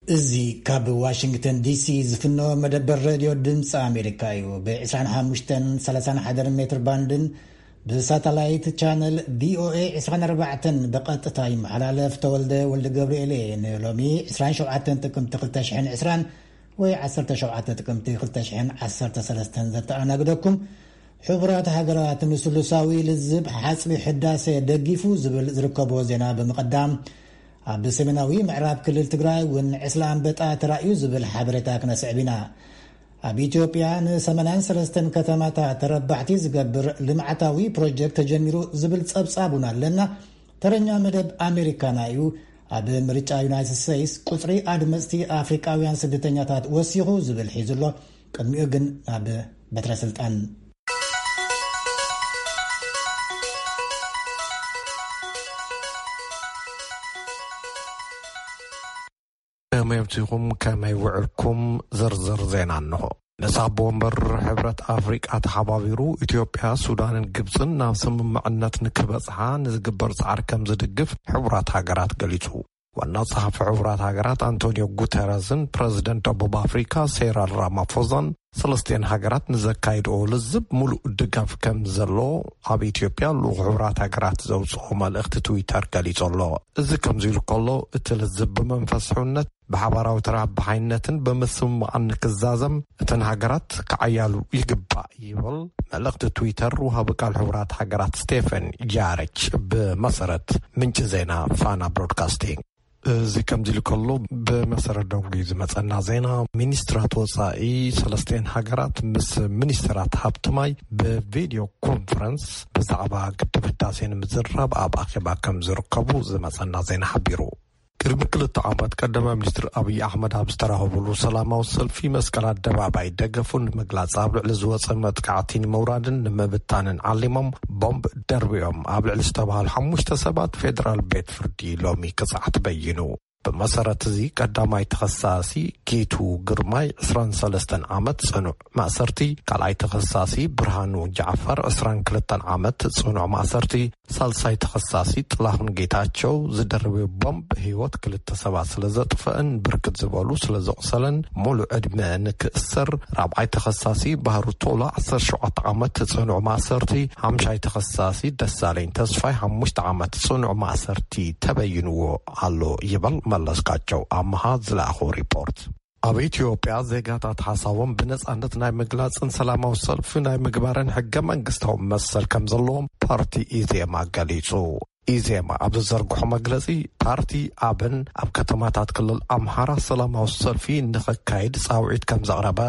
እዚ ካብ ዋሽንግተን ዲሲ ዝፍኖ መደበር ሬድዮ ድምፂ ኣሜሪካ እዩ። ብ25ን 31 ሜትር ባንድን ብሳተላይት ቻነል ቪኦኤ 24ን ብቐጥታ ይመሓላለፍ። ተወልደ ወልደ ገብርኤል እየ። ንሎሚ 27 ጥቅምቲ 2020 ወይ 17 ጥቅምቲ 2013 ዘተኣናግደኩም። ሕቡራት ሃገራት ንስሉሳዊ ልዝብ ሓጽቢ ሕዳሴ ደጊፉ ዝብል ዝርከቦ ዜና ብምቕዳም፣ ኣብ ሰሜናዊ ምዕራብ ክልል ትግራይ እውን ዕስለ ኣንበጣ ተራእዩ ዝብል ሓበሬታ ክነስዕብ ኢና። ኣብ ኢትዮጵያ ን83 ከተማታት ተረባሕቲ ዝገብር ልምዓታዊ ፕሮጀክት ተጀሚሩ ዝብል ጸብጻብ እውን ኣለና። ተረኛ መደብ ኣሜሪካና እዩ። ኣብ ምርጫ ዩናይትድ ስቴትስ ቁጽሪ ኣድመጽቲ ኣፍሪቃውያን ስደተኛታት ወሲኹ ዝብል ሒዙ ኣሎ። ቅድሚኡ ግን ናብ በትረ ስልጣን። ከመይ ኣምሲኹም፣ ከመይ ውዕልኩም? ዝርዝር ዜና እንሆ። ንሳብ ወንበር ሕብረት ኣፍሪቃ ተሓባቢሩ ኢትዮጵያ፣ ሱዳንን ግብፅን ናብ ስምምዕነት ንክበፅሓ ንዝግበር ፃዕሪ ከም ዝድግፍ ሕቡራት ሃገራት ገሊፁ። ዋና ጸሓፊ ሕቡራት ሃገራት ኣንቶኒዮ ጉተረዝን ፕረዚደንት ደቡብ ኣፍሪካ ሴራል ራማፎዛን ሰለስቲኤን ሃገራት ንዘካይድኦ ልዝብ ሙሉእ ድጋፍ ከም ዘሎ ኣብ ኢትዮጵያ ልኡኽ ሕቡራት ሃገራት ዘውፅኦ መልእኽቲ ትዊተር ገሊጹ ኣሎ። እዚ ከምዚ ኢሉ ከሎ፣ እቲ ልዝብ ብመንፈስ ሕውነት ብሓባራዊ ተረባሓይነትን ብምስምማዕን ንክዛዘም እተን ሃገራት ክዓያሉ ይግባእ ይብል መልእኽቲ ትዊተር ወሃቢ ቃል ሕቡራት ሃገራት ስቴፈን ጃረች ብመሰረት ምንጪ ዜና ፋና ብሮድካስቲንግ። እዚ ከምዚ ኢሉ ከሎ፣ ብመሰረት ደንጉ ዝመጸና ዜና፣ ሚኒስትራት ወጻኢ ሰለስቲኤን ሃገራት ምስ ሚኒስትራት ሃብቲ ማይ ብቪድዮ ኮንፈረንስ ብዛዕባ ግድብ ህዳሴ ንምዝራብ ኣብ ኣኼባ ከም ዝርከቡ ዝመጸና ዜና ሓቢሩ። ቅድሚ ክልተ ዓመት ቀዳማይ ሚኒስትር ኣብይ ኣሕመድ ኣብ ዝተራኸቡሉ ሰላማዊ ሰልፊ መስቀል ኣደባባይ ደገፉ ንምግላጽ ኣብ ልዕሊ ዝወጸ መጥቃዕቲ ንምውራድን ንምብታንን ዓሊሞም ቦምብ ደርቢዮም ኣብ ልዕሊ ዝተባሃሉ ሓሙሽተ ሰባት ፌደራል ቤት ፍርዲ ሎሚ ቅጽዓት በይኑ። ብመሰረት እዚ ቀዳማይ ተኸሳሲ ጌቱ ግርማይ 23 ዓመት ጽኑዕ ማእሰርቲ፣ ካልኣይ ተኸሳሲ ብርሃኑ ጃዕፈር 22 ዓመት ጽኑዕ ማእሰርቲ፣ ሳልሳይ ተኸሳሲ ጥላሁን ጌታቸው ዝደርበ ቦምብ ህይወት ክልተ ሰባት ስለ ዘጥፈአን ብርክት ዝበሉ ስለ ዘቑሰለን ሙሉእ ዕድመ ንክእሰር፣ ራብዓይ ተኸሳሲ ባህሩ ቶላ 17 ዓመት ጽኑዕ ማእሰርቲ፣ ሓምሻይ ተኸሳሲ ደሳለኝ ተስፋይ ሓሙሽተ ዓመት ጽኑዕ ማእሰርቲ ተበይንዎ ኣሎ ይበል መለስካቸው ኣምሃ ዝለኣኾ ሪፖርት። ኣብ ኢትዮጵያ ዜጋታት ሓሳቦም ብነጻነት ናይ ምግላጽን ሰላማዊ ሰልፊ ናይ ምግባርን ሕገ መንግስታዊ መሰል ከም ዘለዎም ፓርቲ ኢዜማ ገሊጹ። ኢዜማ ኣብ ዝዘርግሖ መግለጺ፣ ፓርቲ ኣብን ኣብ ከተማታት ክልል ኣምሓራ ሰላማዊ ሰልፊ ንኸካይድ ጻውዒት ከም ዘቕረበ፣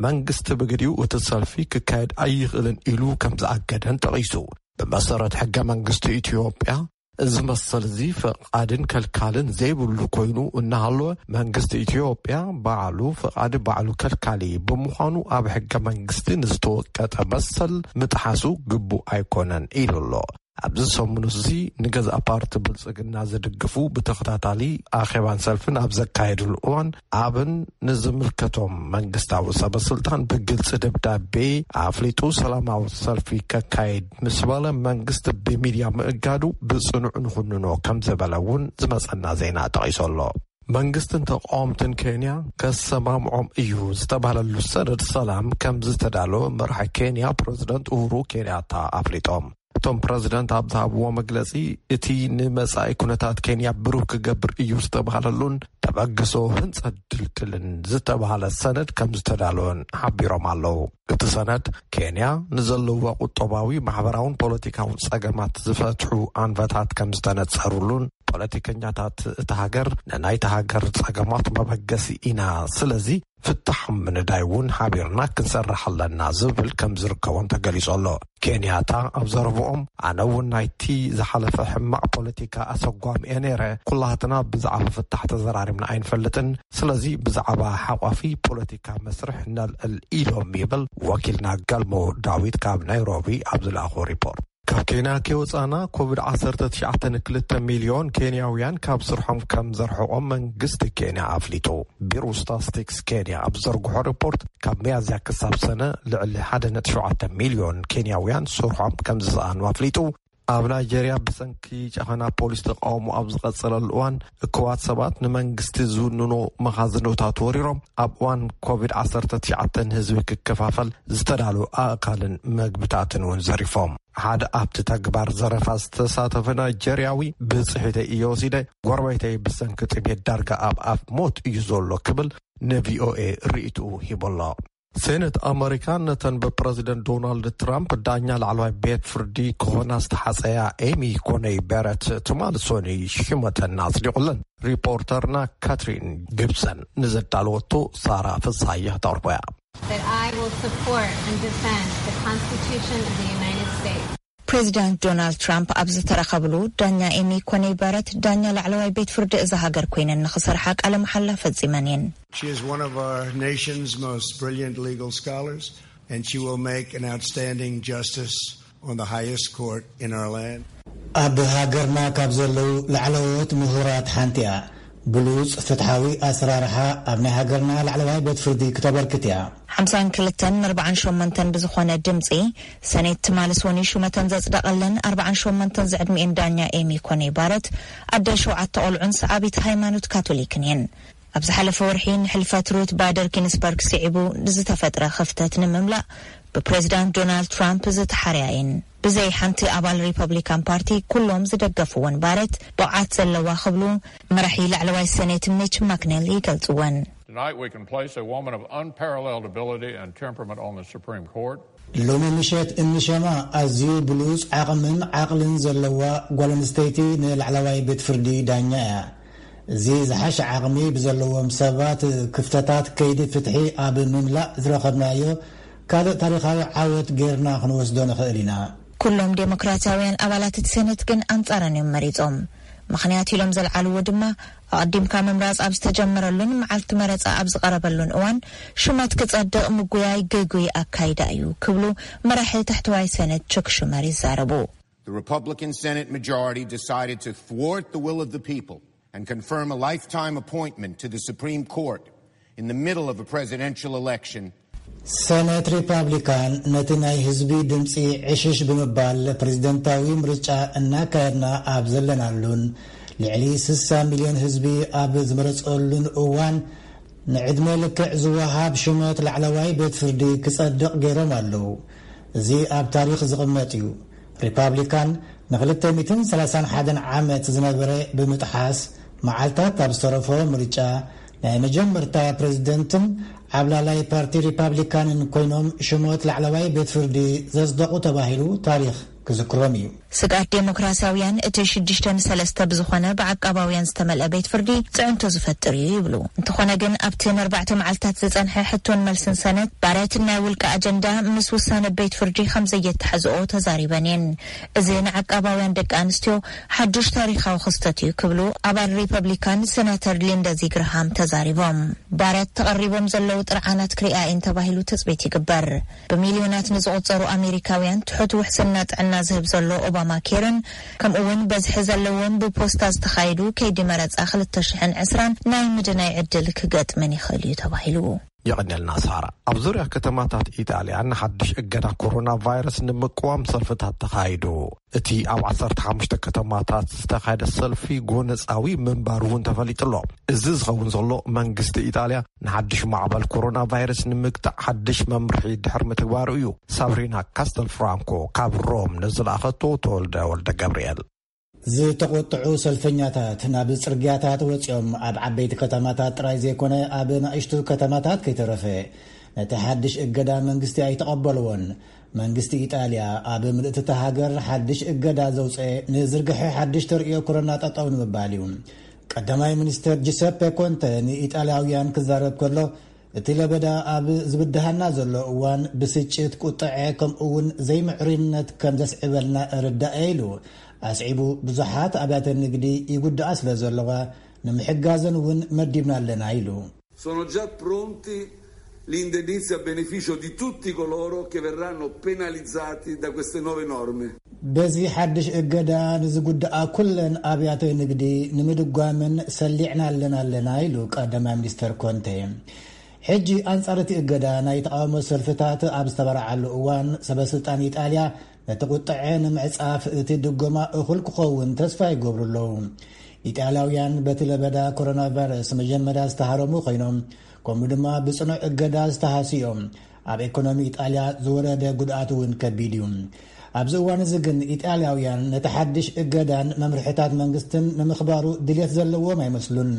መንግስቲ ብግዲኡ እቲ ሰልፊ ክካየድ ኣይኽእልን ኢሉ ከም ዝኣገደን ጠቒሱ። ብመሰረት ሕገ መንግስቲ ኢትዮጵያ፣ እዚ መሰል እዚ ፈቓድን ከልካልን ዘይብሉ ኮይኑ እናሃለወ፣ መንግስቲ ኢትዮጵያ ባዕሉ ፈቓዲ ባዕሉ ከልካሊ ብምዃኑ፣ ኣብ ሕገ መንግስቲ ንዝተወቀጠ መሰል ምጥሓሱ ግቡእ ኣይኮነን ኢሉ ኣሎ። ኣብዚ ሰሙን እዚ ንገዛእ ፓርቲ ብልጽግና ዝድግፉ ብተኸታታሊ ኣኼባን ሰልፍን ኣብ ዘካየድሉ እዋን፣ ኣብን ንዝምልከቶም መንግስታዊ ሰበ ስልጣን ብግልጺ ደብዳቤ ኣፍሊጡ ሰላማዊ ሰልፊ ከካይድ ምስ በለ፣ መንግስቲ ብሚድያ ምእጋዱ ብጽኑዕ ንኹንኖ ከም ዝበለ እውን ዝመጸና ዜና ጠቒሱ ኣሎ። መንግስትን ተቃወምትን ኬንያ ከሰማምዖም እዩ ዝተባህለሉ ሰነድ ሰላም ከም ዝተዳለወ መራሒ ኬንያ ፕረዚደንት ኡሁሩ ኬንያታ ኣፍሊጦም። እቶም ፕረዚደንት ኣብ ዝሃብዎ መግለጺ፣ እቲ ንመጻኢ ኩነታት ኬንያ ብሩህ ክገብር እዩ ዝተባህለሉን ተበግሶ ህንጸት ድልድልን ዝተባህለ ሰነድ ከም ዝተዳለወን ሓቢሮም ኣለዉ። እቲ ሰነድ፣ ኬንያ ንዘለዋ ቁጠባዊ፣ ማሕበራውን ፖለቲካውን ጸገማት ዝፈትሑ ኣንፈታት ከም ዝተነጸሩሉን፣ ፖለቲከኛታት እታ ሃገር፣ ንናይታ ሃገር ጸገማት መበገሲ ኢና፣ ስለዚ ፍታሕ ምንዳይ እውን ሓቢርና ክንሰርሕ ኣለና ዝብል ከም ዝርከቦም ተገሊጹ ኣሎ። ኬንያታ ኣብ ዘረብኦም፣ ኣነ እውን ናይቲ ዝሓለፈ ሕማቕ ፖለቲካ ኣሰጓሚ እየ ነይረ። ኩላህትና ብዛዕባ ፍታሕ ተዘራሪብና ኣይንፈልጥን። ስለዚ ብዛዕባ ሓቋፊ ፖለቲካ መስርሕ ነልዕል ኢሎም ይብል ወኪልና ገልሞ ዳዊት ካብ ናይሮቢ ኣብ ዝለኣኾ ሪፖርት። ካብ ኬንያ ከይወጻና ኮቪድ 19 2 ሚልዮን ኬንያውያን ካብ ስርሖም ከም ዘርሕቖም መንግስቲ ኬንያ ኣፍሊጡ። ቢሮ ስታስቲክስ ኬንያ ኣብ ዘርግሖ ሪፖርት፣ ካብ ሚያዝያ ክሳብ ሰነ ልዕሊ 1.7 ሚልዮን ኬንያውያን ስርሖም ከም ዝሰኣኑ ኣፍሊጡ። ኣብ ናይጀርያ ብሰንኪ ጨኸና ፖሊስ ተቃውሞ ኣብ ዝቐጸለሉ እዋን፣ እኩባት ሰባት ንመንግስቲ ዝውንኖ መኻዝኖታት ወሪሮም፣ ኣብ እዋን ኮቪድ ዓሰርተ ትሽዓተ ንህዝቢ ክከፋፈል ዝተዳለወ ኣእካልን መግብታትን እውን ዘሪፎም። ሓደ ኣብቲ ተግባር ዘረፋ ዝተሳተፈ ናይጀርያዊ፣ "ብጽሒተይ እየ ወሲደ፣ ጎረቤተይ ብሰንኪ ጥሜት ዳርጋ ኣብ ኣፍ ሞት እዩ ዘሎ" ክብል ንቪኦኤ ርእይትኡ ሂቡ ኣሎ። ሴኔት ኣመሪካ ነተን ብፕረዚደንት ዶናልድ ትራምፕ ዳኛ ላዕለዋይ ቤት ፍርዲ ክኾና ዝተሓጸያ ኤሚ ኮነይ በረት ትማል ሶኒ ሽመተን ኣጽዲቑለን። ሪፖርተርና ካትሪን ጊብሰን ንዘዳለወቶ ሳራ ፍስሃየ ክተቕርቦ እያ። That I will support and defend the Constitution of the United States. ፕሬዚዳንት ዶናልድ ትራምፕ ኣብ ዝተረኸብሉ፣ ዳኛ ኤሚ ኮነይ በረት ዳኛ ላዕለዋይ ቤት ፍርዲ እዛ ሃገር ኮይነን ንኽሰርሓ ቃለ መሓላ ፈጺመን እየን። She is one of our nation's most brilliant legal scholars, and she will make an outstanding justice on the highest court in our land. ኣብ ሃገርና ካብ ዘለዉ ላዕለዎት ምሁራት ሓንቲ እያ። ብሉጽ ፍትሓዊ ኣሰራርሓ ኣብ ናይ ሃገርና ላዕለዋይ ቤት ፍርዲ ክተበርክት እያ። ሓምሳን ክልተን ንኣርባዓን ሸሞንተን ብዝኾነ ድምጺ፣ ሰኔት ትማሊ ሶኒ ሹመተን ዘጽደቐለን ኣርባዓን ሸሞንተን ዝዕድሚኤን ዳኛ ኤሚ ኮኔ ባረት፣ ኣደ ሸውዓተ ቆልዑን ሰዓቢት ሃይማኖት ካቶሊክን እየን። ኣብ ዝሓለፈ ወርሒ ንሕልፈት ሩት ባደር ጊንስበርግ ስዒቡ ንዝተፈጥረ ክፍተት ንምምላእ ብፕሬዚዳንት ዶናልድ ትራምፕ ዝተሓርያ እየን። ብዘይ ሓንቲ ኣባል ሪፐብሊካን ፓርቲ ኩሎም ዝደገፍወን ባረት ብቕዓት ዘለዋ ክብሉ መራሒ ላዕለዋይ ሰኔት ሚች ማክኔል ይገልጽወን። Tonight we can place a woman of unparalleled ability and temperament on the Supreme Court. ሎሚ ምሸት እንሸማ ኣዝዩ ብሉጽ ዓቕምን ዓቕልን ዘለዋ ጓል ኣንስተይቲ ንላዕለዋይ ቤት ፍርዲ ዳኛ እያ። እዚ ዝሓሸ ዓቕሚ ብዘለዎም ሰባት ክፍተታት ከይዲ ፍትሒ ኣብ ምምላእ ዝረኸብናዮ ካልእ ታሪኻዊ ዓወት ጌርና ክንወስዶ ንኽእል ኢና። ኩሎም ዴሞክራሲያውያን ኣባላት እቲ ሰነት ግን ኣንጻረን እዮም መሪጾም። ምኽንያት ኢሎም ዘልዓልዎ ድማ ኣቐዲምካ ምምራጽ ኣብ ዝተጀመረሉን መዓልቲ መረጻ ኣብ ዝቐረበሉን እዋን ሹመት ክጸድቕ ምጉያይ ግጉይ ኣካይዳ እዩ ክብሉ መራሒ ታሕተዋይ ሰነት ቹክ ሹመር ይዛረቡ። The Republican Senate majority decided to thwart the will of the people and confirm a lifetime appointment to the Supreme Court in the middle of a presidential election. ሰነት ሪፓብሊካን ነቲ ናይ ህዝቢ ድምፂ ዕሽሽ ብምባል ፕሬዝደንታዊ ምርጫ እናካየድና ኣብ ዘለናሉን ልዕሊ ስሳ ሚልዮን ህዝቢ ኣብ ዝመረፀሉን እዋን ንዕድመ ልክዕ ዝወሃብ ሽመት ላዕለዋይ ቤት ፍርዲ ክጸድቕ ገይሮም ኣለዉ። እዚ ኣብ ታሪኽ ዝቕመጥ እዩ። ሪፓብሊካን ንክልተ ሚእትን ሰላሳን ሓደን ዓመት ዝነበረ ብምጥሓስ መዓልታት ኣብ ዝተረፎ ምርጫ ናይ መጀመርታ ፕሬዝደንትን ዓብላላይ ፓርቲ ሪፓብሊካንን ኮይኖም ሽሞት ላዕለዋይ ቤት ፍርዲ ዘጽደቑ ተባሂሉ ታሪኽ ክዝክሮም እዩ። ስግኣት ዴሞክራሲያውያን እቲ ሽዱሽተ ንሰለስተ ብዝኾነ ብዓቃባውያን ዝተመልአ ቤት ፍርዲ ጽዕንቶ ዝፈጥር እዩ ይብሉ። እንተኾነ ግን ኣብቲ ንኣርባዕተ መዓልታት ዝጸንሐ ሕቶን መልስን ሰነት ባረት ናይ ውልቂ ኣጀንዳ ምስ ውሳነ ቤት ፍርዲ ከም ዘየተሓዝኦ ተዛሪበን እየን። እዚ ንዓቃባውያን ደቂ ኣንስትዮ ሓዱሽ ታሪኻዊ ክስተት እዩ ክብሉ ኣባል ሪፐብሊካን ሴናተር ሊንደዚ ግርሃም ተዛሪቦም። ባረት ተቐሪቦም ዘለዉ ጥርዓናት ክሪኣ እየን ተባሂሉ ትጽቢት ይግበር። ብሚልዮናት ንዝቑጸሩ ኣሜሪካውያን ትሑት ውሕስና ጥዕና ዝህብ ዘሎ ኦባማ ኬርን ከምኡ እውን በዝሒ ዘለዎም ብፖስታ ዝተኻየዱ ከይዲ መረጻ ክልተ ሽሕን ዕስራን ናይ ምድናይ ዕድል ክገጥመን ይኽእል እዩ ተባሂሉ። የቐንየልና ሳራ። ኣብ ዙርያ ከተማታት ኢጣልያ ንሓድሽ እገዳ ኮሮና ቫይረስ ንምቅዋም ሰልፍታት ተኻይዱ። እቲ ኣብ ዓሰርተ ሓሙሽተ ከተማታት ዝተኻየደ ሰልፊ ጎነጻዊ ምንባሩ እውን ተፈሊጡ ኣሎ። እዚ ዝኸውን ዘሎ መንግስቲ ኢጣልያ ንሓድሽ ማዕበል ኮሮና ቫይረስ ንምግታእ ሓድሽ መምርሒ ድሕሪ ምትግባሩ እዩ። ሳብሪና ካስተል ፍራንኮ ካብ ሮም ንዝለኣኸቶ ተወልደ ወልደ ገብርኤል። ዝተቖጥዑ ሰልፈኛታት ናብ ጽርግያታት ወጺኦም ኣብ ዓበይቲ ከተማታት ጥራይ ዘይኮነ ኣብ ናእሽቱ ከተማታት ከይተረፈ ነቲ ሓድሽ እገዳ መንግስቲ ኣይተቐበልዎን። መንግስቲ ኢጣልያ ኣብ ምልእቲ እታ ሃገር ሓድሽ እገዳ ዘውፀ ንዝርግሐ ሓድሽ ተርእዮ ኮሮና ጠጠው ንምባል እዩ። ቀዳማይ ሚኒስተር ጂሰፔ ኮንተ ንኢጣልያውያን ክዛረብ ከሎ እቲ ለበዳ ኣብ ዝብድሃና ዘሎ እዋን ብስጭት፣ ቁጥዐ ከምኡ እውን ዘይምዕሩይነት ከም ዘስዕበልና እርዳእ ኢሉ። ኣስዒቡ ብዙሓት ኣብያተ ንግዲ ይጉድኣ ስለ ዘለዋ ንምሕጋዘን እውን መዲብና ኣለና ኢሉ። Sono già pronti l'indennizzi a beneficio di tutti coloro che verranno penalizzati da queste nuove norme. በዚ ሓድሽ እገዳ ንዝጉድኣ ኩለን ኣብያተ ንግዲ ንምድጓምን ሰሊዕና ኣለና ኣለና ኢሉ ቀዳማይ ሚኒስተር ኮንቴ። ሕጂ ኣንጻር እቲ እገዳ ናይ ተቓውሞ ሰልፍታት ኣብ ዝተበራዓሉ እዋን ሰበ ስልጣን ኢጣልያ ነቲ ቁጥዐ ንምዕጻፍ እቲ ድጎማ እኹል ክኸውን ተስፋ ይገብሩ ኣለዉ። ኢጣልያውያን በቲ ለበዳ ኮሮና ቫይረስ መጀመርያ ዝተሃረሙ ኮይኖም፣ ከምኡ ድማ ብጽኑዕ እገዳ ዝተሃስዩ እዮም። ኣብ ኢኮኖሚ ኢጣልያ ዝወረደ ጉድኣት እውን ከቢድ እዩ። ኣብዚ እዋን እዚ ግን ኢጣልያውያን ነቲ ሓድሽ እገዳን መምርሕታት መንግስትን ንምኽባሩ ድልየት ዘለዎም ኣይመስሉን።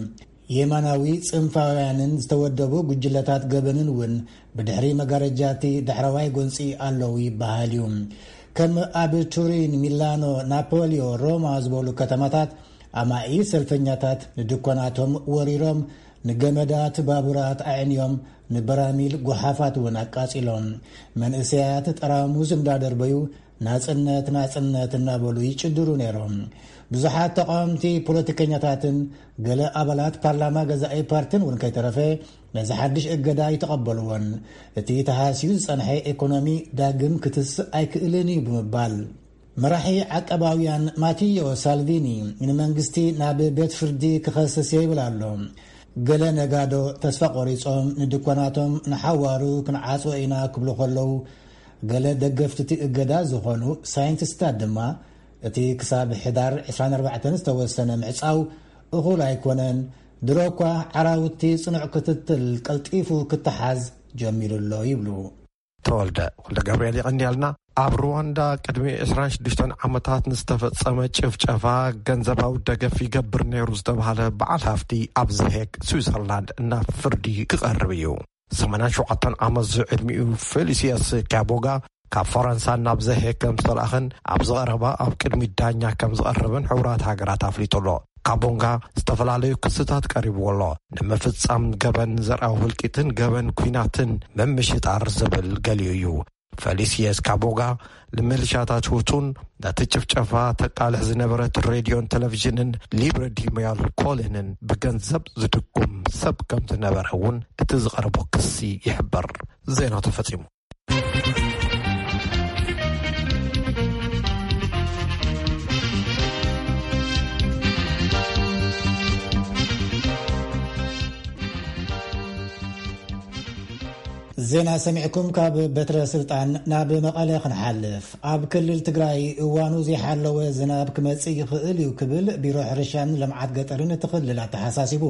የማናዊ ጽንፋውያንን ዝተወደቡ ጉጅለታት ገበንን እውን ብድሕሪ መጋረጃ እቲ ዳሕረዋይ ጎንጺ ኣለዉ ይበሃል እዩ። ከም ኣብ ቱሪን፣ ሚላኖ፣ ናፖሊዮ፣ ሮማ ዝበሉ ከተማታት ኣማኢ ሰልፈኛታት ንድኳናቶም ወሪሮም፣ ንገመዳት ባቡራት ኣዕንዮም፣ ንበራሚል ጎሓፋት እውን ኣቃጺሎም። መንእሰያት ጠራሙዝ እንዳደርበዩ ናጽነት፣ ናጽነት እናበሉ ይጭድሩ ነይሮም። ብዙሓት ተቃወምቲ ፖለቲከኛታትን ገለ ኣባላት ፓርላማ ገዛኢ ፓርቲን እውን ከይተረፈ ነዚ ሓድሽ እገዳ ኣይተቐበልዎን። እቲ ተሃስዩ ዝጸንሐ ኢኮኖሚ ዳግም ክትስእ ኣይክእልን እዩ ብምባል፣ መራሒ ዓቀባውያን ማቲዮ ሳልቪኒ ንመንግስቲ ናብ ቤት ፍርዲ ክኸስስ እየ ይብል ኣሎ። ገለ ነጋዶ ተስፋ ቆሪጾም ንድኳናቶም ንሓዋሩ ክንዓጽዎ ኢና ክብሉ ከለዉ፣ ገለ ደገፍቲ እቲ እገዳ ዝኾኑ ሳይንቲስታት ድማ እቲ ክሳብ ሕዳር ዕስራን ኣርባዕተን ዝተወሰነ ምዕጻው እኹል ኣይኮነን፣ ድሮ እኳ ዓራውቲ ጽኑዕ ክትትል ቀልጢፉ ክተሓዝ ጀሚሩ ኣሎ ይብሉ። ተወልደ ወልደ ገብርኤል የቐንያልና። ኣብ ሩዋንዳ ቅድሚ ዕስራን ሽዱሽተን ዓመታት ንዝተፈጸመ ጭፍጨፋ ገንዘባዊ ደገፍ ይገብር ነይሩ ዝተባህለ በዓል ሃፍቲ ኣብ ዘሄግ ስዊዘርላንድ ናብ ፍርዲ ክቐርብ እዩ። ሰማንያን ሸውዓተን ዓመት ዝዕድሚኡ ፌሊሲየስ ካቦጋ ካብ ፈረንሳ ናብ ዘሄግ ከም ዝተላእኸን ኣብ ዝቐረባ ኣብ ቅድሚ ዳኛ ከም ዝቐርብን ሕቡራት ሃገራት ኣፍሊጡ ኣሎ። ካቦንጋ ዝተፈላለዩ ክስታት ቀሪብዎ ኣሎ። ንምፍጻም ገበን ዘርኣዊ ህልቂትን ገበን ኲናትን ምምሽጣር ዝብል ገሊኡ እዩ። ፌሊሲየስ ካቦጋ ንምልሻታት ሁቱን ነቲ ጭፍጨፋ ተቃልሕ ዝነበረት ሬድዮን ቴሌቪዥንን ሊብረ ዲሞያል ኮሌንን ብገንዘብ ዝድጉም ሰብ ከም ዝነበረ እውን እቲ ዝቐረቦ ክሲ ይሕበር። ዜና ተፈጺሙ። ዜና ሰሚዕኩም ካብ በትረ ስልጣን ናብ መቐለ ክንሓልፍ። ኣብ ክልል ትግራይ እዋኑ ዘይሓለወ ዝናብ ክመጽእ ይኽእል እዩ ክብል ቢሮ ሕርሻን ልምዓት ገጠርን እቲ ክልል ኣተሓሳሲቡ።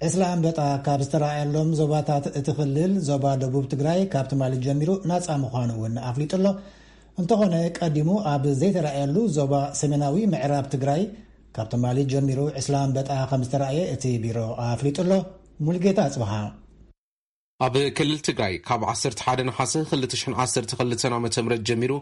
ዕስለ ኣንበጣ ካብ ዝተረኣየሎም ዞባታት እቲ ክልል ዞባ ደቡብ ትግራይ ካብ ትማሊ ጀሚሩ ናጻ ምዃኑ እውን ኣፍሊጡ ኣሎ። እንተኾነ ቀዲሙ ኣብ ዘይተረኣየሉ ዞባ ሰሜናዊ ምዕራብ ትግራይ ካብ ትማሊ ጀሚሩ ዕስለ ኣንበጣ ከም ዝተረኣየ እቲ ቢሮ ኣፍሊጡ ኣሎ። ሙልጌታ ኣጽብሃ። ኣብ ክልል ትግራይ ካብ ዓሰርተ ሓደ ነሓሰ ክልተ ሽሕን ዓሰርተ ክልተን ዓመተ ምህረት ጀሚሩ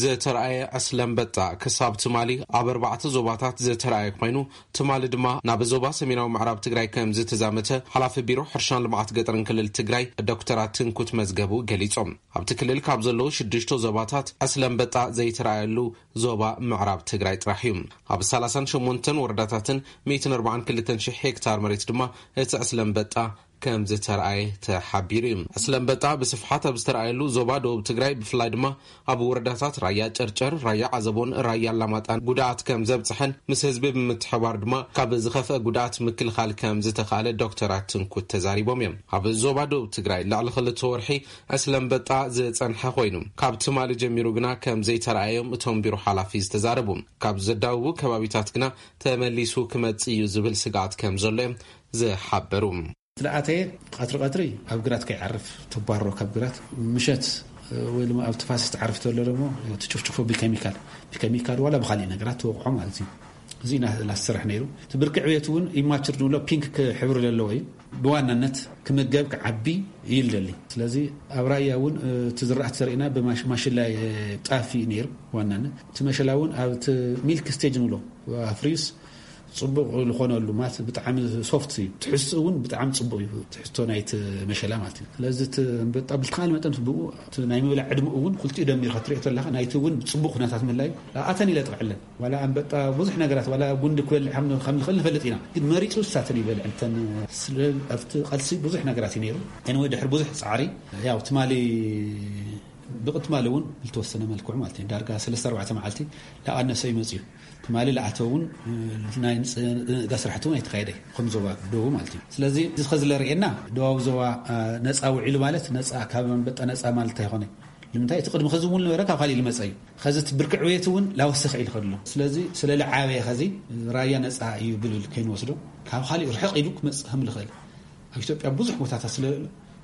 ዝተረኣየ ዕስለ ኣንበጣ ክሳብ ትማሊ ኣብ ኣርባዕተ ዞባታት ዝተረኣየ ኮይኑ፣ ትማሊ ድማ ናብ ዞባ ሰሜናዊ ምዕራብ ትግራይ ከም ዝተዛመተ ሓላፊ ቢሮ ሕርሻን ልምዓት ገጠርን ክልል ትግራይ ዶክተር ኣትንኩት መዝገቡ ገሊጾም። ኣብቲ ክልል ካብ ዘለዉ ሽዱሽተ ዞባታት ዕስለ ኣንበጣ ዘይተረኣየሉ ዞባ ምዕራብ ትግራይ ጥራሕ እዩ። ኣብ ሰላሳን ሸሞንተን ወረዳታትን ሚእትን ኣርባዓን ክልተን ሽሕ ሄክታር መሬት ድማ እቲ ዕስለ ኣንበጣ ከም ዝተረኣየ ተሓቢሩ እዩ። ዕስለ ኣንበጣ ብስፍሓት ኣብ ዝተረኣየሉ ዞባ ደቡብ ትግራይ፣ ብፍላይ ድማ ኣብ ወረዳታት ራያ ጨርጨር፣ ራያ ዓዘቦን ራያ ኣላማጣን ጉድኣት ከም ዘብፅሐን ምስ ህዝቢ ብምትሕባር ድማ ካብ ዝኸፍአ ጉድኣት ምክልኻል ከም ዝተኻእለ ዶክተር ኣትንኩት ተዛሪቦም እዮም። ኣብ ዞባ ደቡብ ትግራይ ልዕሊ ክልተ ወርሒ ዕስለ ኣንበጣ ዝፀንሐ ኮይኑ፣ ካብ ትማሊ ጀሚሩ ግና ከም ዘይተረኣዮም እቶም ቢሮ ሓላፊ ዝተዛረቡ። ካብ ዘዳውቡ ከባቢታት ግና ተመሊሱ ክመጽእ እዩ ዝብል ስግኣት ከም ዘሎ እዮም ዝሓበሩ። ዝለኣተየ ቀትሪ ቀትሪ ኣብ ግራት ከይዓርፍ ተባሮ ካብ ግራት፣ ምሸት ወይ ድማ ኣብ ተፋሰስ ትዓርፍ ተሎ ደግሞ ትጭፍጭፎ ብኬሚካል፣ ብኬሚካል ዋላ ብካሊእ ነገራት ትወቕዖ ማለት እዩ። እዚ ኢና ዝሰርሕ ነይሩ። እቲ ብርቂ ዕብየት እውን ኢማቹር ንብሎ ፒንክ ሕብሪ ዘለዎ እዩ። ብዋናነት ክምገብ ክዓቢ ይልደሊ። ስለዚ ኣብ ራያ እውን እቲ ዝራእቲ ዘርእና ብማሽላ ጣፍ እዩ ነይሩ። ዋናነት እቲ መሸላ እውን ኣብ እቲ ሚልክ ስቴጅ ንብሎ ኣፍሪዩስ ጽቡቕ ዝኾነሉ ማለት ብጣዕሚ ሶፍት እዩ። ትሕዝትኡ እውን ብጣዕሚ ጽቡቕ እዩ፣ ትሕዝቶ ናይቲ መሸላ ማለት እዩ። ስለዚ እቲ ኣንበጣ ብዝተኻለ መጠን ብኡ እቲ ናይ ምብላዕ ዕድመኡ እውን ክልቲኡ ደሚርካ ትሪኦ ተለኻ ናይቲ እውን ጽቡቕ ኩነታት ምህላዩ ኣተን ኢለ ጥቕዕለን። ዋላ ኣንበጣ ብዙሕ ነገራት ዋላ ጉንዲ ክበልዕ ከም ከም ዝኽእል ንፈልጥ ኢና፣ ግን መሪጹ እሳተን ይበልዕ እንተን ስለ ኣብቲ ቃልሲ ብዙሕ ነገራት እዩ ነይሩ። ኤንወይ ድሕሪ ብዙሕ ጻዕሪ ያው ትማሊ ብቕትማሊ እውን ዝተወሰነ መልክዑ ማለት እዩ ዳርጋ ሰለስተ ኣርባዕተ መዓልቲ ላቐነሰ ይመጽእ እዩ። ትማሊ ላኣተው እውን ናይ ንፅጋ ስራሕቲ እውን ኣይተካየደ ከም ዞባ ደቡብ ማለት እዩ። ስለዚ እዚ ከዚ ለርእየና ደቡብ ዞባ ነፃ ውዒሉ ማለት ነፃ ካብ ኣንበጣ ነፃ ማለት ኣይኮነ። ንምንታይ እቲ ቅድሚ ከዚ እውን ነበረ ካብ ካሊእ ዝመፀ እዩ። ከዚ እቲ ብርኪ ዕብየት እውን ላወሰኸ ኢሉ ከድሎ። ስለዚ ስለ ልዓበየ ከዚ ራያ ነፃ እዩ ብልብል ከይንወስዶ፣ ካብ ካሊእ ርሕቕ ኢሉ ክመፅእ ከም ልኽእል፣ ኣብ ኢትዮጵያ ብዙሕ ቦታታት ስለ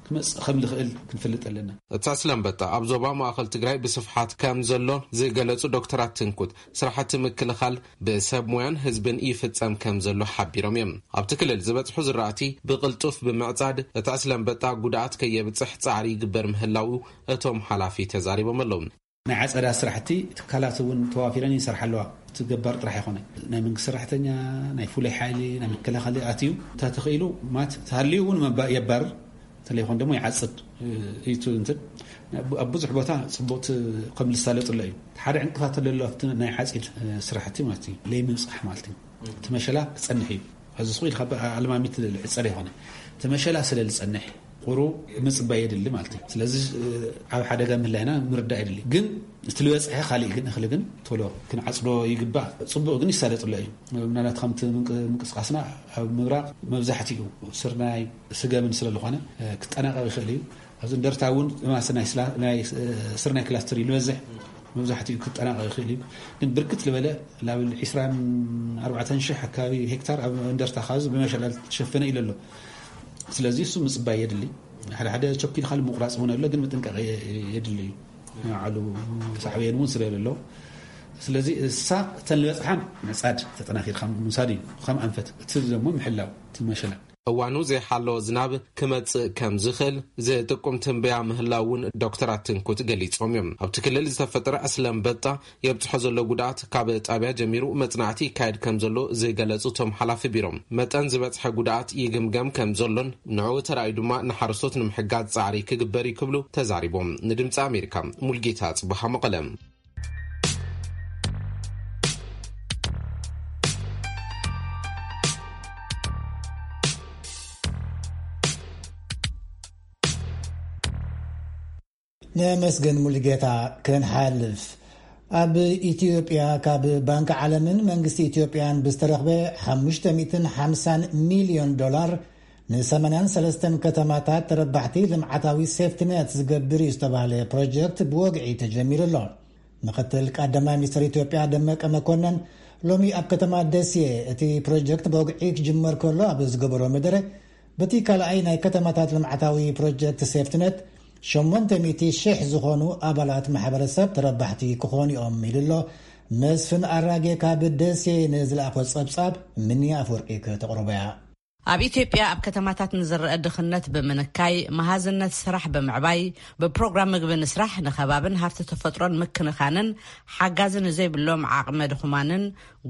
ክመፅእ ከም ልኽእል ክንፈልጥ ኣለና። እቲ ዕስለ ኣንበጣ ኣብ ዞባ ማእኸል ትግራይ ብስፍሓት ከም ዘሎ ዝገለጹ ዶክተር ኣትንኩት፣ ስራሕቲ ምክልኻል ብሰብ ሞያን ህዝብን ይፍጸም ከም ዘሎ ሓቢሮም እዮም። ኣብቲ ክልል ዝበጽሑ ዝራእቲ ብቕልጡፍ ብምዕጻድ እቲ ዕስለ ኣንበጣ ጉድኣት ከየብጽሕ ጻዕሪ ይግበር ምህላዉ እቶም ሓላፊ ተዛሪቦም ኣለዉ። ናይ ዓጸዳ ስራሕቲ ትካላት እውን ተዋፊረን ይሰርሓ ኣለዋ። እቲ ገባር ጥራሕ ይኾነ፣ ናይ መንግስቲ ሰራሕተኛ፣ ናይ ፍሉይ ሓይሊ፣ ናይ መከላኸሊ ኣትዩ እንተተኽኢሉ ማት ተሃልዩ እውን መባ-፣ የባርር፣ እንተለይኮን ደግሞ ይዓጽድ። እዩ እንትን ኣብ ብዙሕ ቦታ ጽቡቕቲ ከም ዝሳለጥሎ እዩ። ሓደ ዕንቅፋት ተለሎ ኣብቲ ናይ ዓጺድ ስራሕቲ ማለት እዩ፣ ለይምብጻሕ ማለት እዩ። እቲ መሸላ ክጸንሕ እዩ። ኣብዚ ስኹ ኢልካ ብ-፣ ኣልማሚት ልዕጸር ይኾነ፣ እቲ መሸላ ስለ ዝጸንሕ ቁሩ ምጽባይ የድሊ ማለት እዩ። ስለዚ ኣብ ሓደጋ ምህላይና ምርዳእ የድሊ። ግን እቲ ዝበጽሐ ካልእ ግን እኽሊ ግን ቶሎ ክንዓጽዶ ይግባእ። ጽቡቕ ግን ይሳለጥሎ እዩ። ምናልባት ከምቲ ምንቅ-፣ ምንቅስቃስና ኣብ ምብራቕ መብዛሕትኡ ስርናይ ስገምን ስለ ዝኾነ ክጠናቐቕ ይኽእል እዩ። ኣብዚ እንደርታ እውን ማስ ናይ ስላ-፣ ናይ ስርናይ ክላስተር እዩ ዝበዝሕ፣ መብዛሕትኡ ክጠናቐቕ ይኽእል እዩ። ግን ብርክት ዝበለ ላብል ዒስራን ኣርባዕተን ሽሕ ኣካባቢ ሄክታር ኣብ እንደርታ ካብዚ ብመሸላ ዝተሸፈነ ኢሉ ኣሎ። ስለዚ እሱ ምጽባይ የድሊ። ሓደ ሓደ ቸኪል ካልእ ምቁራጽ እውን ኣሎ፣ ግን ምጥንቃቕ የ-፣ የድሊ እዩ። ንባዕሉ ሳዕቤን እውን ስለ ዘሎ፣ ስለዚ እሳ እተን ዝበጽሓ ምዕጻድ ተጠናኺርካ ምውሳድ እዩ። ከም ኣንፈት እቲ ደሞ ምሕላው እቲ መሸላ። እዋኑ ዘይሓለወ ዝናብ ክመጽእ ከም ዝኽእል ዝጥቁም ትንበያ ምህላው እውን ዶክተር ኣትንኩት ገሊጾም እዮም። ኣብቲ ክልል ዝተፈጠረ ዕስለ ኣንበጣ የብጽሖ ዘሎ ጉድኣት ካብ ጣብያ ጀሚሩ መጽናዕቲ ይካየድ ከም ዘሎ ዝገለጹ እቶም ሓላፊ ቢሮ፣ መጠን ዝበጽሐ ጉድኣት ይግምገም ከም ዘሎን ንዕኡ ተራእዩ ድማ ንሓረስቶት ንምሕጋዝ ጻዕሪ ክግበር እዩ ክብሉ ተዛሪቦም። ንድምጺ ኣሜሪካ፣ ሙልጌታ ጽቡሃ፣ መቐለ። ነመስገን ሙሉጌታ። ክንሓልፍ፣ ኣብ ኢትዮጵያ ካብ ባንክ ዓለምን መንግስቲ ኢትዮጵያን ብዝተረኽበ ሓሙሽተ ሚእትን ሓምሳን ሚልዮን ዶላር ንሰማንያን ሰለስተን ከተማታት ተረባሕቲ ልምዓታዊ ሴፍትነት ዝገብር እዩ ዝተባህለ ፕሮጀክት ብወግዒ ተጀሚሩ ኣሎ። ምክትል ቀዳማይ ሚኒስትር ኢትዮጵያ ደመቀ መኮነን ሎሚ ኣብ ከተማ ደሴ እቲ ፕሮጀክት ብወግዒ ክጅመር ከሎ ኣብ ዝገበሮ መደረ፣ በቲ ካልኣይ ናይ ከተማታት ልምዓታዊ ፕሮጀክት ሴፍትነት ሸሞንተ ሚእቲ ሽሕ ዝኾኑ ኣባላት ማሕበረሰብ ተረባሕቲ ክኾኑ እዮም ኢሉ ኣሎ። መስፍን ኣራጌ ካብ ደሴ ንዝለኣኾ ጸብጻብ ምንያ ኣፈወርቂ ከተቕርቦ እያ። ኣብ ኢትዮጵያ ኣብ ከተማታት ንዝረአ ድኽነት ብምንካይ፣ መሃዝነት ስራሕ ብምዕባይ፣ ብፕሮግራም ምግቢ ንስራሕ ንኸባብን ሃፍቲ ተፈጥሮን ምክንኻንን ሓጋዚ ንዘይብሎም ዓቕመ ድኹማንን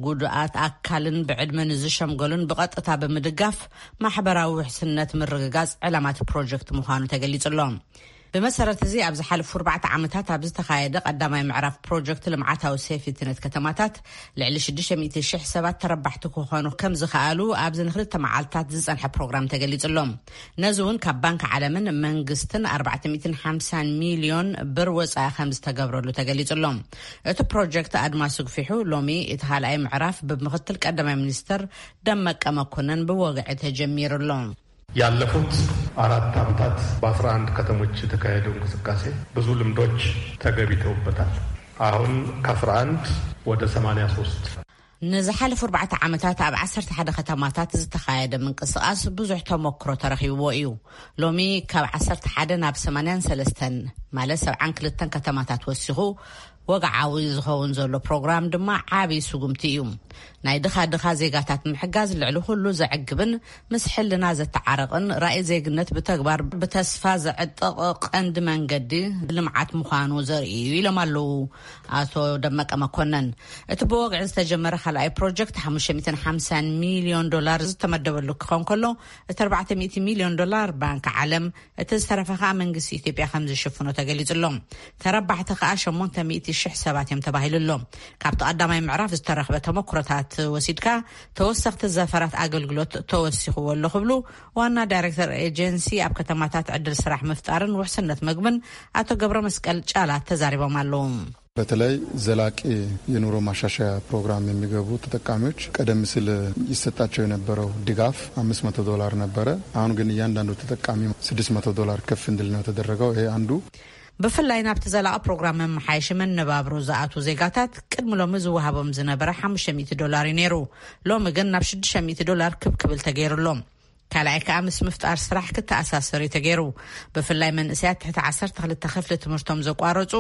ጉዱኣት ኣካልን ብዕድመ ንዝሸምገሉን ብቐጥታ ብምድጋፍ ማሕበራዊ ውሕስነት ምርግጋጽ ዕላማ እቲ ፕሮጀክት ምዃኑ ተገሊጹ ኣሎ። ብመሰረት እዚ ኣብ ዝሓለፉ ኣርባዕተ ዓመታት ኣብ ዝተኻየደ ቀዳማይ ምዕራፍ ፕሮጀክት ልምዓታዊ ሴፍትነት ከተማታት ልዕሊ ሽዱሽተ ሚእቲ ሽሕ ሰባት ተረባሕቲ ክኾኑ ከም ዝኸኣሉ ኣብዚ ንክልተ መዓልታት ዝጸንሐ ፕሮግራም ተገሊጹ ኣሎ። ነዚ እውን ካብ ባንክ ዓለምን መንግስትን ኣርባዕተ ሚእትን ሓምሳን ሚልዮን ብር ወጻኢ ከም ዝተገብረሉ ተገሊጹ ኣሎ። እቲ ፕሮጀክት ኣድማሱ ግፊሑ ሎሚ እቲ ካልኣይ ምዕራፍ ብምክትል ቀዳማይ ሚኒስትር ደመቀ መኮነን ብወግዒ ተጀሚሩ ኣሎ። ያለፉት አራት ዓመታት በአስራ አንድ ከተሞች የተካሄደው እንቅስቃሴ ብዙ ልምዶች ተገቢተውበታል። አሁን ከአስራ አንድ ወደ ሰማንያ ሶስት። ንዝሓለፉ ኣርባዕተ ዓመታት ኣብ ዓሰርተ ሓደ ከተማታት ዝተኻየደ ምንቅስቓስ ብዙሕ ተመክሮ ተረኺብዎ እዩ። ሎሚ ካብ ዓሰርተ ሓደ ናብ ሰማንያን ሰለስተን፣ ማለት ሰብዓን ክልተን ከተማታት ወሲኹ፣ ወግዓዊ ዝኸውን ዘሎ ፕሮግራም ድማ ዓቢ ስጉምቲ እዩ። ናይ ድኻ ድኻ ዜጋታት ምሕጋዝ ልዕሊ ኩሉ ዘዕግብን ምስ ሕልና ዘተዓረቕን ራእይ ዜግነት ብተግባር ብተስፋ ዘዕጥቕ ቀንዲ መንገዲ ልምዓት ምዃኑ ዘርኢ እዩ ኢሎም ኣለዉ ኣቶ ደመቀ መኮነን። እቲ ብወግዒ ዝተጀመረ ካልኣይ ፕሮጀክት ሓሙሽተ ሚእትን ሓምሳን ሚልዮን ዶላር ዝተመደበሉ ክኸውን ከሎ፣ እቲ ኣርባዕተ ሚእቲ ሚልዮን ዶላር ባንክ ዓለም፣ እቲ ዝተረፈ ከኣ መንግስቲ ኢትዮጵያ ከም ዝሽፍኖ ተገሊጹ ኣሎ። ተረባሕቲ ከኣ ሸሞንተ ሚእቲ ሽሕ ሰባት እዮም ተባሂሉ ኣሎ። ካብቲ ቀዳማይ ምዕራፍ ዝተረኽበ ተመክሮታት ወሲድካ ተወሰኽቲ ዘፈራት ኣገልግሎት ተወሲኽዎ ኣሎ ክብሉ ዋና ዳይሬክተር ኤጀንሲ ኣብ ከተማታት ዕድል ስራሕ ምፍጣርን ውሕስነት ምግብን ኣቶ ገብረ መስቀል ጫላ ተዛሪቦም ኣለዉ። በተለይ ዘላቂ የኑሮ ማሻሻያ ፕሮግራም የሚገቡ ተጠቃሚዎች ቀደም ሲል ይሰጣቸው የነበረው ድጋፍ አምስት መቶ ዶላር ነበረ። አሁን ግን እያንዳንዱ ተጠቃሚ ስድስት መቶ ዶላር ከፍ እንዲል ነው የተደረገው። ይሄ አንዱ። ብፍላይ ናብቲ ዘላቒ ፕሮግራም መመሓየሺ መነባብሮ ዝኣትዉ ዜጋታት ቅድሚ ሎሚ ዝወሃቦም ዝነበረ ሓሙሽተ ሚእቲ ዶላር እዩ ነይሩ። ሎሚ ግን ናብ ሽዱሽተ ሚእቲ ዶላር ክብ ክብል ተገይሩሎም። ካልኣይ ከኣ ምስ ምፍጣር ስራሕ ክተኣሳሰር እዩ ተገይሩ። ብፍላይ መንእሰያት ትሕቲ ዓሰርተ ክልተ ክፍሊ ትምህርቶም ዘቋረጹ፣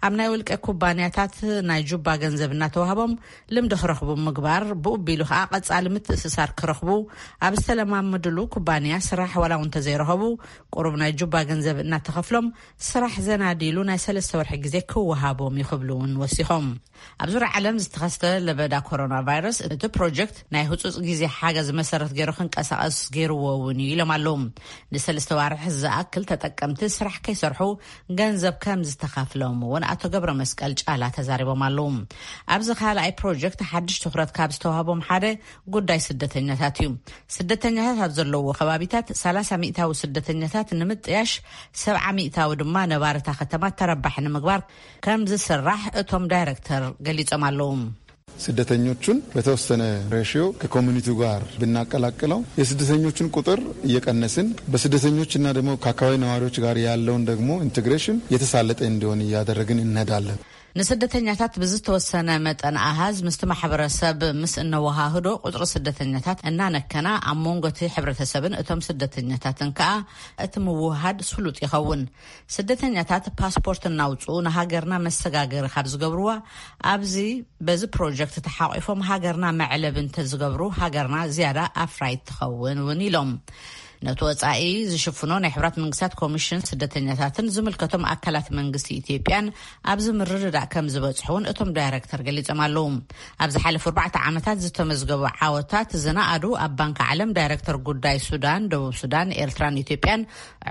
ኣብ ናይ ውልቀ ኩባንያታት ናይ ጁባ ገንዘብ እናተዋህቦም ልምዲ ክረኽቡ ምግባር፣ ብኡ ቢሉ ከኣ ቀጻሊ ምትእስሳር ክረኽቡ፣ ኣብ ዝተለማመድሉ ኩባንያ ስራሕ ዋላ እውን እንተዘይረኸቡ፣ ቁሩብ ናይ ጁባ ገንዘብ እናተኸፍሎም ስራሕ ዘናዲሉ ናይ ሰለስተ ወርሒ ግዜ ክወሃቦም እዩ ክብሉ እውን ወሲኾም። ኣብ ዙርያ ዓለም ዝተኸስተ ለበዳ ኮሮና ቫይረስ፣ እቲ ፕሮጀክት ናይ ህጹጽ ግዜ ሓገዝ መሰረት ገይሩ ክንቀሳቐስ ገይርዎ እውን እዩ ኢሎም ኣለዉ። ንሰለስተ ዋርሕ ዝኣክል ተጠቀምቲ ስራሕ ከይሰርሑ ገንዘብ ከም ዝተኸፍሎም እውን ኣቶ ገብረ መስቀል ጫላ ተዛሪቦም ኣለዉ። ኣብዚ ካልኣይ ፕሮጀክት ሓድሽ ትኹረት ካብ ዝተዋህቦም ሓደ ጉዳይ ስደተኛታት እዩ። ስደተኛታት ኣብ ዘለውዎ ከባቢታት ሰላሳ ሚእታዊ ስደተኛታት ንምጥያሽ፣ ሰብዓ ሚእታዊ ድማ ነባርታ ከተማ ተረባሒ ንምግባር ከም ዝስራሕ እቶም ዳይሬክተር ገሊጾም ኣለዉ። ስደተኞቹን በተወሰነ ሬሽዮ ከኮሚኒቲው ጋር ብናቀላቅለው የስደተኞቹን ቁጥር እየቀነስን፣ በስደተኞችና ደግሞ ከአካባቢ ነዋሪዎች ጋር ያለውን ደግሞ ኢንቴግሬሽን የተሳለጠ እንዲሆን እያደረግን እንሄዳለን። ንስደተኛታት ብዝተወሰነ መጠን ኣሃዝ ምስቲ ማሕበረሰብ ምስ እነወሃህዶ፣ ቁፅሪ ስደተኛታት እናነከና፣ ኣብ መንጎ እቲ ሕብረተሰብን እቶም ስደተኛታትን ከዓ እቲ ምውሃድ ስሉጥ ይኸውን። ስደተኛታት ፓስፖርት እናውፅኡ ንሃገርና መሰጋገሪ ካብ ዝገብርዋ፣ ኣብዚ በዚ ፕሮጀክት ተሓቂፎም ሃገርና መዕለቢ እንተዝገብሩ፣ ሃገርና ዝያዳ ኣፍራይት ትኸውን እውን ኢሎም። ነቲ ወጻኢ ዝሽፍኖ ናይ ሕብራት መንግስታት ኮሚሽን ስደተኛታትን ዝምልከቶም ኣካላት መንግስቲ ኢትዮጵያን ኣብዚ ምርድዳእ ከም ዝበጽሑ እውን እቶም ዳይረክተር ገሊጾም ኣለዉ። ኣብ ዝሓለፉ ኣርባዕተ ዓመታት ዝተመዝገቡ ዓወታት ዝነኣዱ ኣብ ባንክ ዓለም ዳይረክተር ጉዳይ ሱዳን፣ ደቡብ ሱዳን፣ ኤርትራን ኢትዮጵያን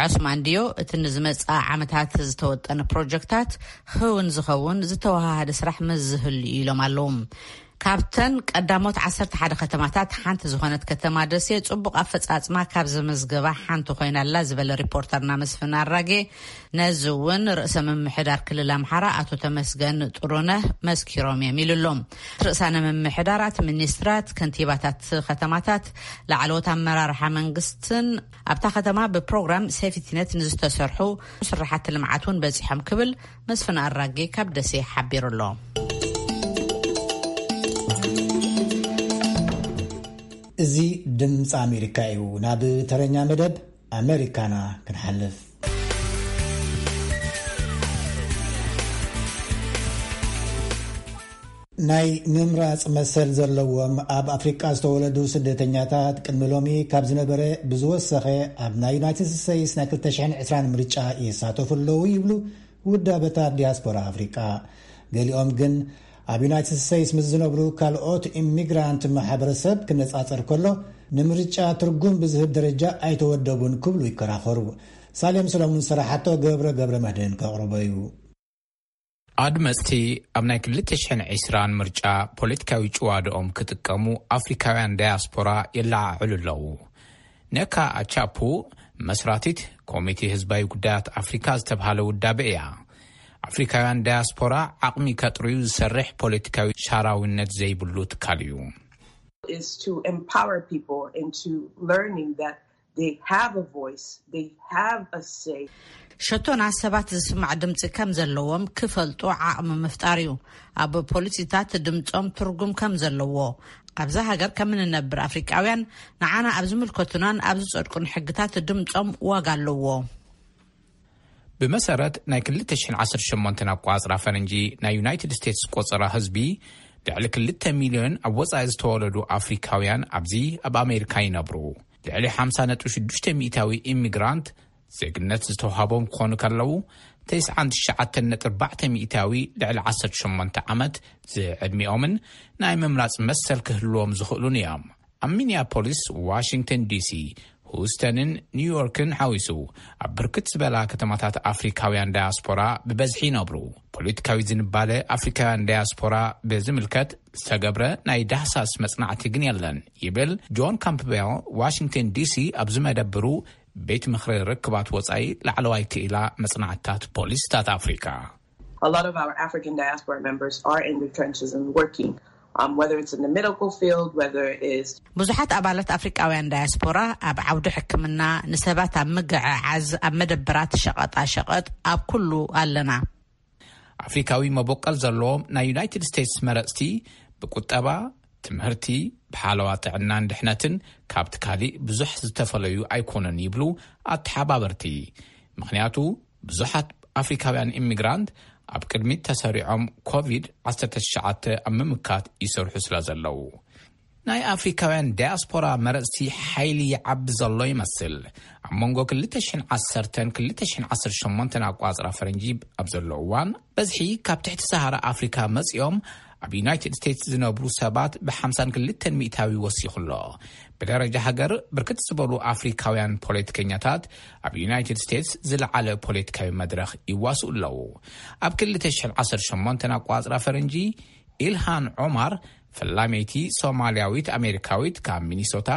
ዑስማን ዲዮ፣ እቲ ንዝመጽኣ ዓመታት ዝተወጠነ ፕሮጀክታት ክውን ዝኸውን ዝተወሃሃደ ስራሕ መዝህሉ እዩ ኢሎም ኣለዉ። ካብተን ቀዳሞት ዓሰርተ ሓደ ከተማታት ሓንቲ ዝኾነት ከተማ ደሴ፣ ጽቡቕ ኣፈጻጽማ ካብ ዘመዝገባ ሓንቲ ኮይና ኣላ ዝበለ ሪፖርተርና መስፍን ኣራጌ፣ ነዚ እውን ርእሰ ምምሕዳር ክልል ኣምሓራ ኣቶ ተመስገን ጥሩነህ መስኪሮም እዮም ኢሉ ኣሎ። ርእሳነ ምምሕዳራት፣ ሚኒስትራት፣ ከንቲባታት ከተማታት፣ ላዕለዎት ኣመራርሓ መንግስትን ኣብታ ከተማ ብፕሮግራም ሴፍቲነት ንዝተሰርሑ ስራሓት ልምዓት እውን በጺሖም ክብል መስፍን ኣራጌ ካብ ደሴ ሓቢሩ ኣሎ። እዚ ድምፂ ኣሜሪካ እዩ። ናብ ተረኛ መደብ ኣሜሪካና ክንሓልፍ። ናይ ምምራፅ መሰል ዘለዎም ኣብ ኣፍሪቃ ዝተወለዱ ስደተኛታት ቅድሚ ሎሚ ካብ ዝነበረ ብዝወሰኸ ኣብ ናይ ዩናይትድ ስቴትስ ናይ ክልተ ሽሕን ዕስራን ምርጫ ይሳተፉ ኣለዉ ይብሉ ውዳበታት ዲያስፖራ ኣፍሪቃ። ገሊኦም ግን ኣብ ዩናይትድ ስቴትስ ምስ ዝነብሩ ካልኦት ኢሚግራንት ማሕበረሰብ ክነፃፀር ከሎ ንምርጫ ትርጉም ብዝህብ ደረጃ ኣይተወደቡን ክብሉ ይከራኸሩ። ሳሌም ሰሎሙን ዝሰራሓቶ ገብረ ገብረ መድህን ከቕርቦ እዩ። ኣድመፅቲ ኣብ ናይ ክልተ ሽሕን ዕስራን ምርጫ ፖለቲካዊ ጭዋድኦም ክጥቀሙ ኣፍሪካውያን ዳያስፖራ የለዓዕሉ ኣለዉ። ነካ ኣቻፑ መስራቲት ኮሚቴ ህዝባዊ ጉዳያት ኣፍሪካ ዝተብሃለ ውዳበ እያ። ኣፍሪካውያን ዳያስፖራ ዓቕሚ ከጥርዩ ዝሰርሕ ፖለቲካዊ ሻራዊነት ዘይብሉ ትካል እዩ። Is to empower people into learning that they have a voice, they have a say. ሸቶና ሰባት ዝስማዕ ድምፂ ከም ዘለዎም ክፈልጡ ዓቕሚ ምፍጣር እዩ። ኣብ ፖሊሲታት ድምፆም ትርጉም ከም ዘለዎ፣ ኣብዛ ሃገር ከም እንነብር ኣፍሪቃውያን ንዓና ኣብ ዝምልከቱናን ኣብ ዝጸድቁን ሕግታት ድምፆም ዋጋ ኣለዎ። ብመሰረት ናይ ክልተ ሽሕን ዓሰርተ ሸሞንተን ኣቋጽራ ፈረንጂ ናይ ዩናይትድ ስቴትስ ቆጸራ ህዝቢ፣ ልዕሊ ክልተ ሚልዮን ኣብ ወጻኢ ዝተወለዱ ኣፍሪካውያን ኣብዚ ኣብ ኣሜሪካ ይነብሩ። ልዕሊ ሓምሳ ነጥቢ ሽዱሽተ ሚእታዊ ኢሚግራንት ዜግነት ዝተውሃቦም ክኾኑ ከለዉ፣ ተስዓን ትሽዓተን ነጥቢ ኣርባዕተ ሚእታዊ ልዕሊ ዓሰርተ ሸሞንተ ዓመት ዝዕድሚኦምን ናይ ምምራጽ መሰል ክህልዎም ዝኽእሉን እዮም። ኣብ ሚኒያፖሊስ፣ ዋሽንግተን ዲሲ፣ ሁስተንን ኒውዮርክን ሓዊሱ ኣብ ብርክት ዝበላ ከተማታት ኣፍሪካውያን ዳያስፖራ ብበዝሒ ይነብሩ። ፖለቲካዊ ዝንባለ ኣፍሪካውያን ዳያስፖራ ብዝምልከት ዝተገብረ ናይ ዳህሳስ መጽናዕቲ ግን የለን ይብል ጆን ካምፕቤል፣ ዋሽንግተን ዲሲ ኣብ ዝመደብሩ ቤት ምኽሪ ርክባት ወጻኢ ላዕለዋይ ክኢላ መጽናዕትታት ፖሊሲታት ኣፍሪካ። A lot of our African diaspora members are in the trenches and working um, whether it's in the medical field, whether it is ብዙሓት ኣባላት ኣፍሪቃውያን ዳያስፖራ ኣብ ዓውዲ ሕክምና፣ ንሰባት ኣብ ምግዕዓዝ፣ ኣብ መደበራት ሸቐጣ ሸቐጥ፣ ኣብ ኩሉ ኣለና። ኣፍሪካዊ መበቆል ዘለዎም ናይ ዩናይትድ ስቴትስ መረፅቲ ብቁጠባ፣ ትምህርቲ፣ ብሓለዋ ጥዕናን ድሕነትን ካብቲ ካሊእ ብዙሕ ዝተፈለዩ ኣይኮኑን ይብሉ ኣተሓባበርቲ። ምኽንያቱ ብዙሓት ኣፍሪካውያን ኢሚግራንት ኣብ ቅድሚት ተሰሪዖም ኮቪድ ዓሰርተ ትሽዓተ ኣብ ምምካት ይሰርሑ ስለ ዘለዉ። ናይ ኣፍሪካውያን ዳያስፖራ መረፅቲ ሓይሊ ይዓቢ ዘሎ ይመስል። ኣብ መንጎ ክልተ ሽሕን ዓሰርተን ክልተ ሽሕን ዓሰርተ ሸሞንተን ኣቋፅራ ፈረንጂ ኣብ ዘሎ እዋን፣ በዝሒ ካብ ትሕቲ ሰሃራ ኣፍሪካ መፂኦም ኣብ ዩናይትድ ስቴትስ ዝነብሩ ሰባት ብ ሓምሳን ክልተን ሚእታዊ ወሲኹ ኣሎ። ብደረጃ ሃገር፣ ብርክት ዝበሉ ኣፍሪካውያን ፖለቲከኛታት ኣብ ዩናይትድ ስቴትስ ዝለዓለ ፖለቲካዊ መድረኽ ይዋስኡ ኣለዉ። ኣብ ክልተ ሽሕን ዓሰርተ ሸሞንተን ኣቋፅራ ፈረንጂ፣ ኢልሃን ዖማር፣ ፈላመይቲ ሶማልያዊት ኣሜሪካዊት ካብ ሚኒሶታ፣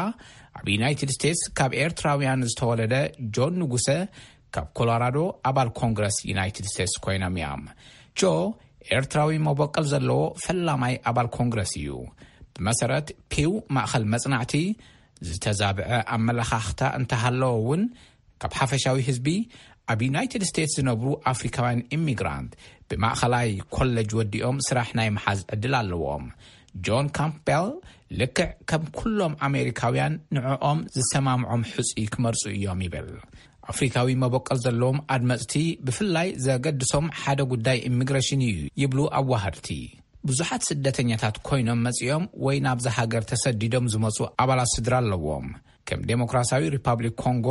ኣብ ዩናይትድ ስቴትስ ካብ ኤርትራውያን ዝተወለደ ጆን ንጉሰ ካብ ኮሎራዶ፣ ኣባል ኮንግረስ ዩናይትድ ስቴትስ ኮይኖም እዮም። ጆ፣ ኤርትራዊ መበቀል ዘለዎ ፈላማይ ኣባል ኮንግረስ እዩ። ብመሰረት ፒው ማእኸል መጽናዕቲ፣ ዝተዛብዐ ኣመለኻኽታ እንተሃለወ እውን፣ ካብ ሓፈሻዊ ህዝቢ ኣብ ዩናይትድ ስቴትስ ዝነብሩ ኣፍሪካውያን ኢሚግራንት ብማእኸላይ ኮለጅ ወዲኦም ስራሕ ናይ ምሓዝ ዕድል ኣለዎም። ጆን ካምፕቤል፣ ልክዕ ከም ኩሎም ኣሜሪካውያን፣ ንዕኦም ዝሰማምዖም ሕፁይ ክመርፁ እዮም ይብል። ኣፍሪካዊ መበቆል ዘለዎም ኣድመፅቲ ብፍላይ ዘገድሶም ሓደ ጉዳይ ኢሚግሬሽን እዩ ይብሉ ኣዋሃድቲ። ብዙሓት ስደተኛታት ኮይኖም መፂኦም ወይ ናብዛ ሃገር ተሰዲዶም ዝመፁ ኣባላት ስድራ ኣለዎም። ከም ዴሞክራሲያዊ ሪፓብሊክ ኮንጎ፣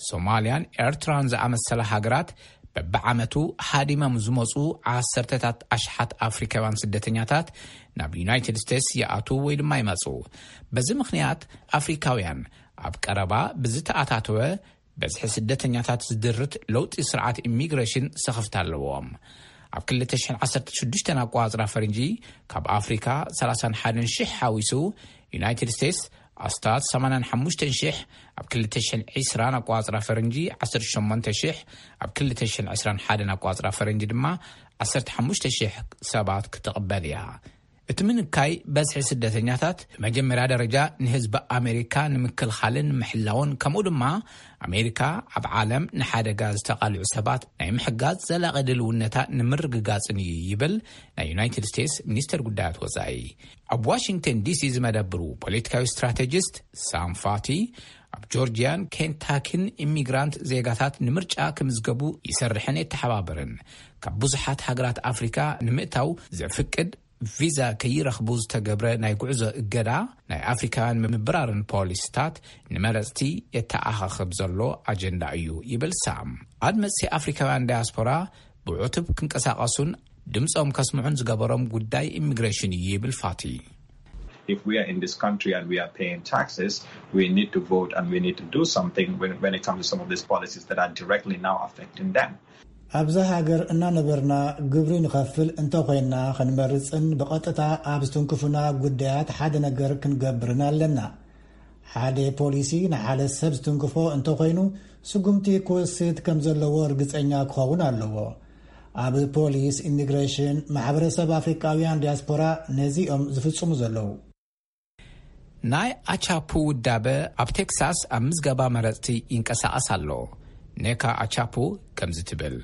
ሶማልያን ኤርትራን ዝኣመሰላ ሃገራት፣ በብዓመቱ ሃዲሞም ዝመፁ ዓሰርተታት ኣሽሓት ኣፍሪካውያን ስደተኛታት ናብ ዩናይትድ ስቴትስ ይኣትዉ ወይ ድማ ይመፁ። በዚ ምኽንያት፣ ኣፍሪካውያን ኣብ ቀረባ ብዝተኣታተወ በዝሒ ስደተኛታት ዝድርት ለውጢ ስርዓት ኢሚግሬሽን ስኽፍታ ኣለዎም። ኣብ ክልተ ሽሕን ዓሰርተ ሽዱሽተን ኣቋጽራ ፈረንጂ፣ ካብ ኣፍሪካ ሰላሳን ሓደን ሽሕ ሓዊሱ፣ ዩናይትድ ስቴትስ ኣስታት ሰማንያን ሓሙሽተን ሽሕ፣ ኣብ ክልተ ሽሕን ዕስራን ኣቋጽራ ፈረንጂ ዓሰርተ ሸሞንተ ሽሕ፣ ኣብ ክልተ ሽሕን ዕስራን ሓደን ኣቋጽራ ፈረንጂ ድማ ዓሰርተ ሓሙሽተ ሽሕ ሰባት ክትቕበል እያ። እቲ ምንካይ በዝሒ ስደተኛታት ብመጀመርያ ደረጃ ንህዝቢ ኣሜሪካ ንምክልኻልን ምሕላውን፣ ከምኡ ድማ ኣሜሪካ ኣብ ዓለም ንሓደጋ ዝተቓልዑ ሰባት ናይ ምሕጋዝ ዘላቒ ድልውነታ ንምርግጋጽን እዩ ይብል ናይ ዩናይትድ ስቴትስ ሚኒስተር ጉዳያት ወጻኢ። ኣብ ዋሽንግተን ዲሲ ዝመደብሩ ፖለቲካዊ ስትራቴጂስት ሳም ፋቲ፣ ኣብ ጆርጂያን ኬንታኪን ኢሚግራንት ዜጋታት ንምርጫ ክምዝገቡ ይሰርሕን የተሓባበርን። ካብ ብዙሓት ሃገራት ኣፍሪካ ንምእታው ዘፍቅድ ቪዛ ከይረኽቡ ዝተገብረ ናይ ጉዕዞ እገዳ፣ ናይ ኣፍሪካውያን ምብራርን ፖሊሲታት ንመረፅቲ የተኣኻኽብ ዘሎ ኣጀንዳ እዩ ይብል ሳም። ኣድመፅቲ ኣፍሪካውያን ዳያስፖራ ብዕቱብ ክንቀሳቐሱን ድምፆም ከስምዑን ዝገበሮም ጉዳይ ኢሚግሬሽን እዩ ይብል ፋቲ። If we are in this country and we are paying taxes, we need to vote and we need to do something when, when it comes to some of these policies that are directly now affecting them. ኣብዛ ሃገር እናነበርና ግብሪ ንኸፍል እንተኾይንና፣ ክንመርፅን ብቐጥታ ኣብ ዝትንክፉና ጉዳያት ሓደ ነገር ክንገብርን ኣለና። ሓደ ፖሊሲ ንሓደ ሰብ ዝትንክፎ እንተኾይኑ፣ ስጉምቲ ክወስድ ከም ዘለዎ ርግፀኛ ክኸውን ኣለዎ። ኣብ ፖሊስ፣ ኢሚግሬሽን፣ ማሕበረሰብ ኣፍሪቃውያን ዲያስፖራ ነዚኦም ዝፍጽሙ ዘለዉ። ናይ ኣቻፑ ውዳበ ኣብ ቴክሳስ ኣብ ምዝገባ መረፅቲ ይንቀሳቐስ ኣሎ። ኔካ ኣቻፑ ከምዚ ትብል።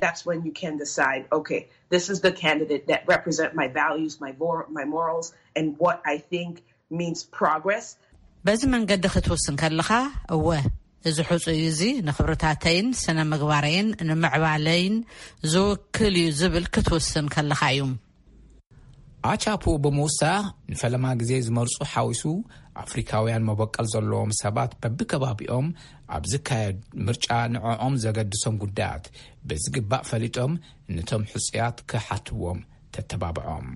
That's when you can decide, okay, this is the candidate that represent my values, my vor-, my morals, and what I think means progress. በዚ መንገዲ ክትውስን ከለኻ፣ እወ፣ እዚ ሕጹይ እዚ ንኽብርታተይን ስነ ምግባረይን ንምዕባለይን ዝውክል እዩ ዝብል ክትውስን ከለኻ እዩ። ኣቻፑ ብምውሳኽ፣ ንፈለማ ግዜ ዝመርጹ ሓዊሱ ኣፍሪካውያን መበቀል ዘለዎም ሰባት በብከባቢኦም ኣብ ዝካየድ ምርጫ ንዕኦም ዘገድሶም ጉዳያት ብዝግባእ ፈሊጦም ነቶም ሕጹያት ክሓትዎም ተተባብዖም።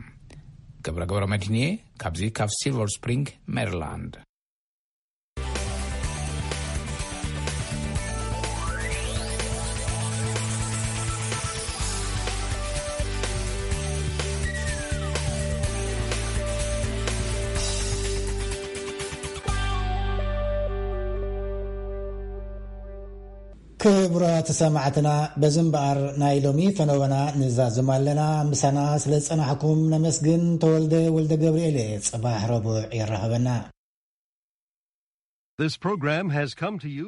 ገብረ ገብረ መድህንየ ካብዚ ካብ ሲልቨር ስፕሪንግ ሜሪላንድ። ክቡራት ሰማዕትና፣ በዚ እምበኣር ናይ ሎሚ ፈነወና ንዛዝም ኣለና። ምሳና ስለ ዝጸናሕኩም ነመስግን። ተወልደ ወልደ ገብርኤል፣ ጽባሕ ረቡዕ የራኸበና። This program has come to you